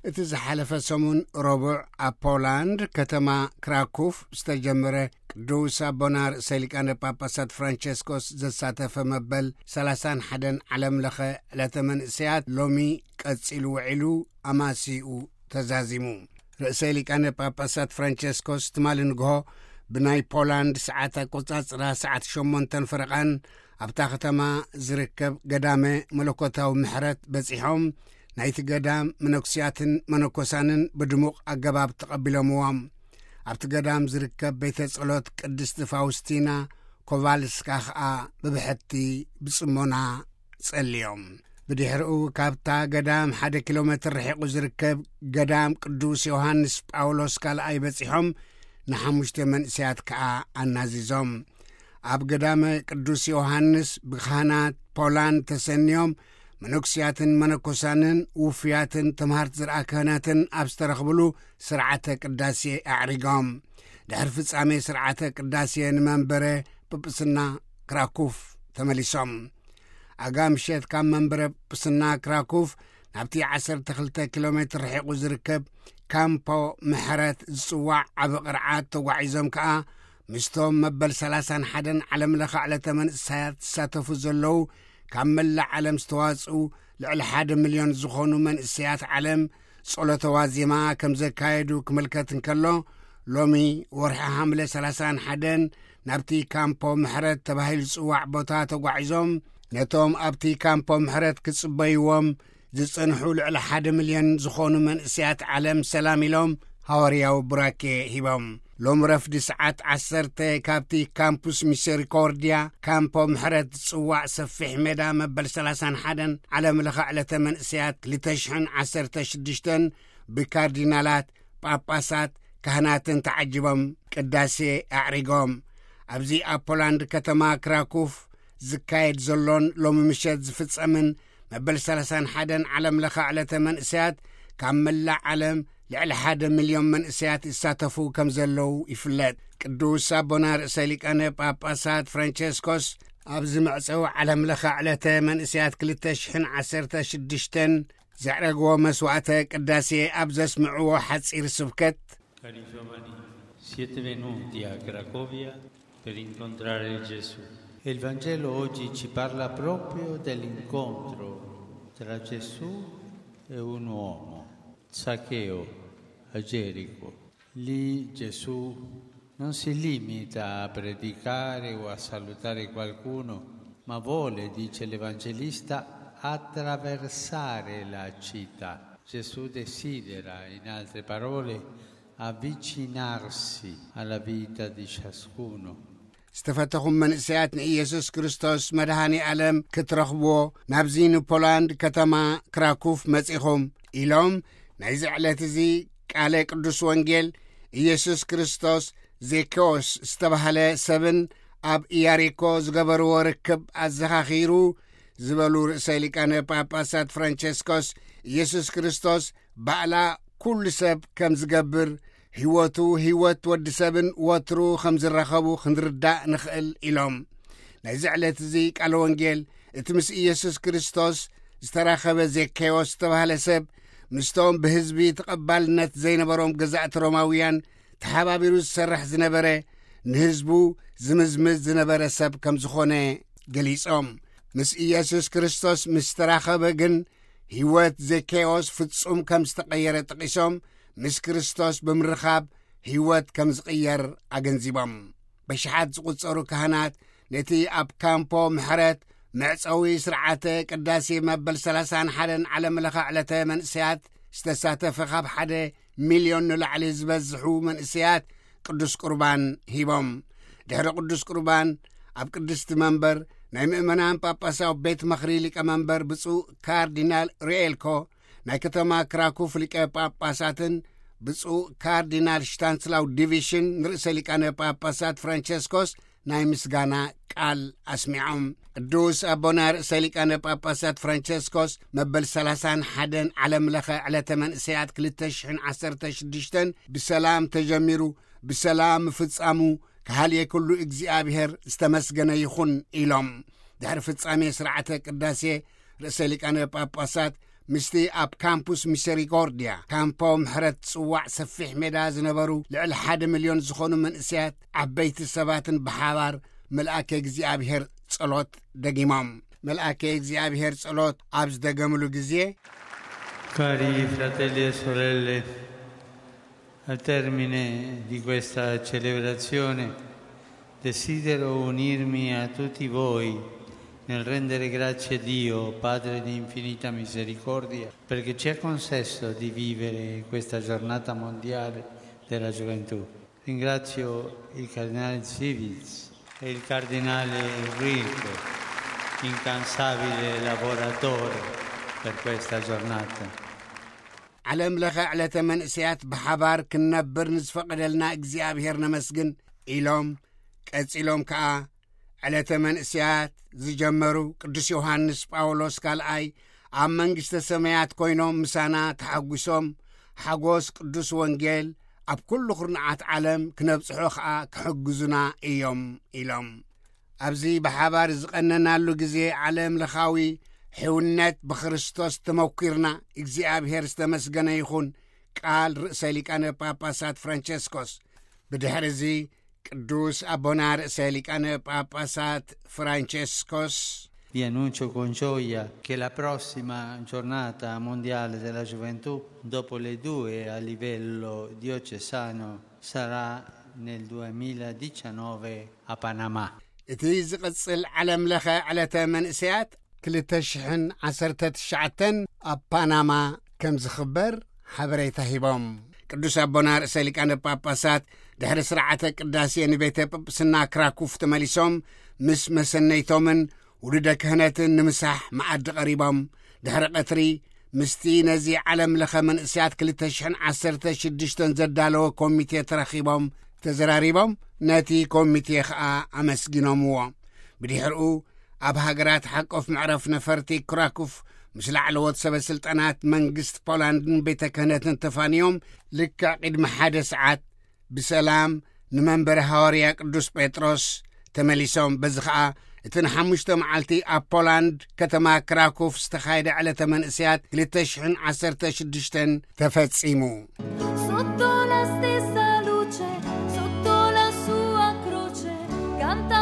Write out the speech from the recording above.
እቲ ዝሓለፈ ሰሙን ረቡዕ ኣብ ፖላንድ ከተማ ክራኩፍ ዝተጀመረ ቅዱስ ኣቦና ርእሰ ሊቃነ ጳጳሳት ፍራንቸስኮስ ዘሳተፈ መበል ሰላሳን ሓደን ዓለም ለኸ ዕለተ መንእሰያት ሎሚ ቀጺሉ ውዒሉ ኣማሲኡ ተዛዚሙ። ርእሰ ሊቃነ ጳጳሳት ፍራንቸስኮስ ትማሊ ንግሆ ብናይ ፖላንድ ሰዓት ኣቆጻጽራ ሰዓት ሸሞንተን ፈረቓን ኣብታ ከተማ ዝርከብ ገዳመ መለኮታዊ ምሕረት በጺሖም ናይቲ ገዳም መነኩስያትን መነኮሳንን ብድሙቕ ኣገባብ ተቐቢሎምዎም። ኣብቲ ገዳም ዝርከብ ቤተ ጸሎት ቅድስቲ ፋውስቲና ኮቫልስካ ኸኣ ብብሕቲ ብጽሞና ጸልዮም። ብድሕሪኡ ካብታ ገዳም ሓደ ኪሎ ሜትር ርሒቑ ዝርከብ ገዳም ቅዱስ ዮሃንስ ጳውሎስ ካልኣይ በጺሖም ንሓሙሽተ መንእሰያት ከኣ ኣናዚዞም። ኣብ ገዳመ ቅዱስ ዮሃንስ ብካህናት ፖላንድ ተሰንዮም መነኩስያትን መነኮሳንን ውፉያትን ተምሃርቲ ዝርኣ ክህነትን ኣብ ዝተረኽብሉ ስርዓተ ቅዳሴ ኣዕሪጎም። ድሕሪ ፍጻሜ ስርዓተ ቅዳሴ ንመንበረ ጵጵስና ክራኩፍ ተመሊሶም። ኣጋ ምሸት ካብ መንበረ ጵጵስና ክራኩፍ ናብቲ ዓሰርተ ክልተ ኪሎ ሜትር ርሒቑ ዝርከብ ካምፖ ምሕረት ዝጽዋዕ ዓቢ ቅርዓት ተጓዒዞም ከኣ ምስቶም መበል ሰላሳን ሓደን ዓለም ለኸ ዕለተ መንእሰያት ዝሳተፉ ዘለዉ ካብ መላእ ዓለም ዝተዋጽኡ ልዕሊ ሓደ ሚልዮን ዝኾኑ መንእሰያት ዓለም ጸሎተ ዋዜማ ከም ዘካየዱ ክምልከት እንከሎ፣ ሎሚ ወርሒ ሓምለ ሰላሳን ሓደን ናብቲ ካምፖ ምሕረት ተባሂሉ ዝጽዋዕ ቦታ ተጓዒዞም ነቶም ኣብቲ ካምፖ ምሕረት ክጽበይዎም ዝጸንሑ ልዕሊ ሓደ ሚልዮን ዝኾኑ መንእሰያት ዓለም ሰላም ኢሎም ሃዋርያዊ ቡራኬ ሂቦም። ሎም ረፍዲ ሰዓት ዓሰርተ ካብቲ ካምፑስ ሚሰሪኮርድያ ካምፖ ምሕረት ዝጽዋዕ ሰፊሕ ሜዳ መበል ሰላሳን ሓደን ዓለም ለኸ ዕለተ መንእሰያት ክልተ ሽሕን ዓሰርተ ሽዱሽተን ብካርዲናላት፣ ጳጳሳት፣ ካህናትን ተዓጅቦም ቅዳሴ ኣዕሪጎም። ኣብዚ ኣብ ፖላንድ ከተማ ክራኩፍ ዝካየድ ዘሎን ሎሚ ምሸት ዝፍጸምን መበል ሰላሳን ሓደን ዓለም ለኸ ዕለተ መንእሰያት ካብ መላእ ዓለም ልዕሊ ሓደ ሚልዮን መንእሰያት ይሳተፉ ከም ዘለዉ ይፍለጥ። ቅዱስ ኣቦና ርእሰ ሊቃነ ጳጳሳት ፍራንቸስኮስ ኣብዚ መዕጸዊ ዓለም ለኸ ዕለተ መንእሰያት ክልተ ሽሕን ዓሰርተ ሽዱሽተን ዘዕረግዎ መስዋዕተ ቅዳሴ ኣብ ዘስምዕዎ ሓጺር ስብከት፣ Cari giovani, siete venuti a Cracovia per incontrare Gesù. E il Vangelo oggi ci parla proprio dell'incontro tra Gesù e un uomo, Zaccheo, a Gerico. Lì Gesù non si limita a predicare o a salutare qualcuno, ma vuole, dice l'Evangelista, attraversare la città. Gesù desidera, in altre parole, avvicinarsi alla vita di ciascuno. ዝተፈተኹም መንእሰያት ንኢየሱስ ክርስቶስ መድሃኒ ዓለም ክትረኽብዎ ናብዚ ንፖላንድ ከተማ ክራኩፍ መጺኹም ኢሎም ናይዚ ዕለት እዚ ቃለ ቅዱስ ወንጌል ኢየሱስ ክርስቶስ ዜኬዎስ ዝተባህለ ሰብን ኣብ ኢያሪኮ ዝገበርዎ ርክብ ኣዘኻኺሩ ዝበሉ ርእሰ ሊቃነ ጳጳሳት ፍራንቸስኮስ፣ ኢየሱስ ክርስቶስ ባዕላ ኩሉ ሰብ ከም ዝገብር፣ ህይወቱ ህይወት ወዲ ሰብን ወትሩ ከም ዝረኸቡ ክንርዳእ ንኽእል ኢሎም። ናይዚ ዕለት እዚ ቃለ ወንጌል እቲ ምስ ኢየሱስ ክርስቶስ ዝተራኸበ ዜኬዎስ ዝተባህለ ሰብ ምስቶም ብህዝቢ ተቐባልነት ዘይነበሮም ገዛእቲ ሮማውያን ተሓባቢሩ ዝሰርሕ ዝነበረ ንህዝቡ ዝምዝምዝ ዝነበረ ሰብ ከም ዝኾነ ገሊጾም። ምስ ኢየሱስ ክርስቶስ ምስ ተራኸበ ግን ህይወት ዜኬዎስ ፍጹም ከም ዝተቐየረ ጠቒሶም፣ ምስ ክርስቶስ ብምርኻብ ህይወት ከም ዝቕየር ኣገንዚቦም። በሽሓት ዝቑጸሩ ካህናት ነቲ ኣብ ካምፖ ምሕረት መዕጸዊ ስርዓተ ቅዳሴ መበል ሰላሳን ሓደን ዓለም ለኸ ዕለተ መንእሰያት ዝተሳተፈ ካብ ሓደ ሚልዮን ንላዕሊ ዝበዝሑ መንእሰያት ቅዱስ ቁርባን ሂቦም። ድሕሪ ቅዱስ ቁርባን ኣብ ቅድስቲ መንበር ናይ ምእመናን ጳጳሳዊ ቤት ምኽሪ ሊቀ መንበር ብፁዕ ካርዲናል ሪኤልኮ፣ ናይ ከተማ ክራኩፍ ሊቀ ጳጳሳትን ብፁዕ ካርዲናል ሽታንስላው ዲቪሽን ንርእሰ ሊቃነ ጳጳሳት ፍራንቸስኮስ ናይ ምስጋና ቃል ኣስሚዖም። ቅዱስ ኣቦና ርእሰ ሊቃነ ጳጳሳት ፍራንቸስኮስ መበል ሰላሳን ሓደን ዓለም ለኸ ዕለተ መንእሰያት ክልተ ሽሕን ዓሰርተ ሽዱሽተን ብሰላም ተጀሚሩ ብሰላም ምፍጻሙ ከሃልየ ኩሉ እግዚኣብሔር ዝተመስገነ ይኹን ኢሎም። ድሕሪ ፍጻሜ ስርዓተ ቅዳሴ ርእሰ ሊቃነ ጳጳሳት ምስቲ ኣብ ካምፑስ ሚሰሪኮርድያ፣ ካምፖ ምሕረት ጽዋዕ ሰፊሕ ሜዳ ዝነበሩ ልዕሊ ሓደ ሚልዮን ዝኾኑ መንእሰያት ዓበይቲ ሰባትን ብሓባር መልኣከ እግዚኣብሔር ጸሎት ደጊሞም። መልኣከ እግዚኣብሔር ጸሎት ኣብ ዝደገምሉ ግዜ፣ Cari fratelli e sorelle, al termine di questa celebrazione desidero unirmi a tutti voi nel rendere grazie a Dio, Padre di infinita misericordia, perché ci ha concesso di vivere questa giornata mondiale della gioventù. Ringrazio il cardinale Civils e il cardinale Enrico, incansabile lavoratore per questa giornata. ዓለም ለኸ ዕለተ መንእሰያት ብሓባር ክንነብር ንዝፈቐደልና እግዚኣብሔር ነመስግን ኢሎም፣ ቀጺሎም ከኣ ዕለተ መንእሰያት ዝጀመሩ ቅዱስ ዮሃንስ ጳውሎስ ካልኣይ ኣብ መንግስተ ሰማያት ኮይኖም ምሳና ተሓጒሶም፣ ሓጎስ ቅዱስ ወንጌል ኣብ ኩሉ ኩርናዓት ዓለም ክነብጽሖ ኸኣ ክሕግዙና እዮም ኢሎም። ኣብዚ ብሓባር ዝቐነናሉ ግዜ ዓለም ለኻዊ ሕውነት ብክርስቶስ ተመኲርና፣ እግዚኣብሔር ዝተመስገነ ይኹን፣ ቃል ርእሰ ሊቃነ ጳጳሳት ፍራንቸስኮስ። ብድሕሪ እዚ ቅዱስ ኣቦና ርእሰ ሊቃነ ጳጳሳት ፍራንቸስኮስ፣ Vi annuncio con gioia che la prossima giornata mondiale della gioventù, dopo le due a livello diocesano, sarà nel duemiladiciannove a Panama. እቲ ዝቕጽል ዓለም ለኸ ዕለተ መንእሰያት ክልተ ሽሕን ዓሰርተ ትሽዓተን ኣብ ፓናማ ከም ዝኽበር ሓበሬታ ሂቦም። ቅዱስ ኣቦና ርእሰ ሊቃነ ጳጳሳት ድሕሪ ስርዓተ ቅዳሴ ንቤተ ጵጵስና ክራኩፍ ተመሊሶም፣ ምስ መሰነይቶምን ውሉደ ክህነትን ንምሳሕ መኣዲ ቀሪቦም። ድሕሪ ቀትሪ ምስቲ ነዚ ዓለም ለኸ መንእሰያት ክልተ ሽሕን ዓሰርተ ሽዱሽተን ዘዳለወ ኮሚቴ ተረኺቦም ተዘራሪቦም፣ ነቲ ኮሚቴ ኸኣ ኣመስጊኖምዎ። ብድሕርኡ ኣብ ሃገራት ሓቆፍ መዕረፍ ነፈርቲ ክራኩፍ ምስ ላዕለዎት ሰበ ስልጣናት መንግስቲ ፖላንድን ቤተ ክህነትን ተፋንዮም፣ ልክዕ ቅድሚ ሓደ ሰዓት ብሰላም ንመንበሪ ሃዋርያ ቅዱስ ጴጥሮስ ተመሊሶም። በዚ ኸኣ እቲ ንሓሙሽተ መዓልቲ ኣብ ፖላንድ ከተማ ክራኩፍ ዝተኻየደ ዕለተ መንእሰያት ክልተ ሽሕን ዓሰርተ ሽዱሽተን ተፈጺሙ። Sotto la stessa luce, sotto la sua croce, canta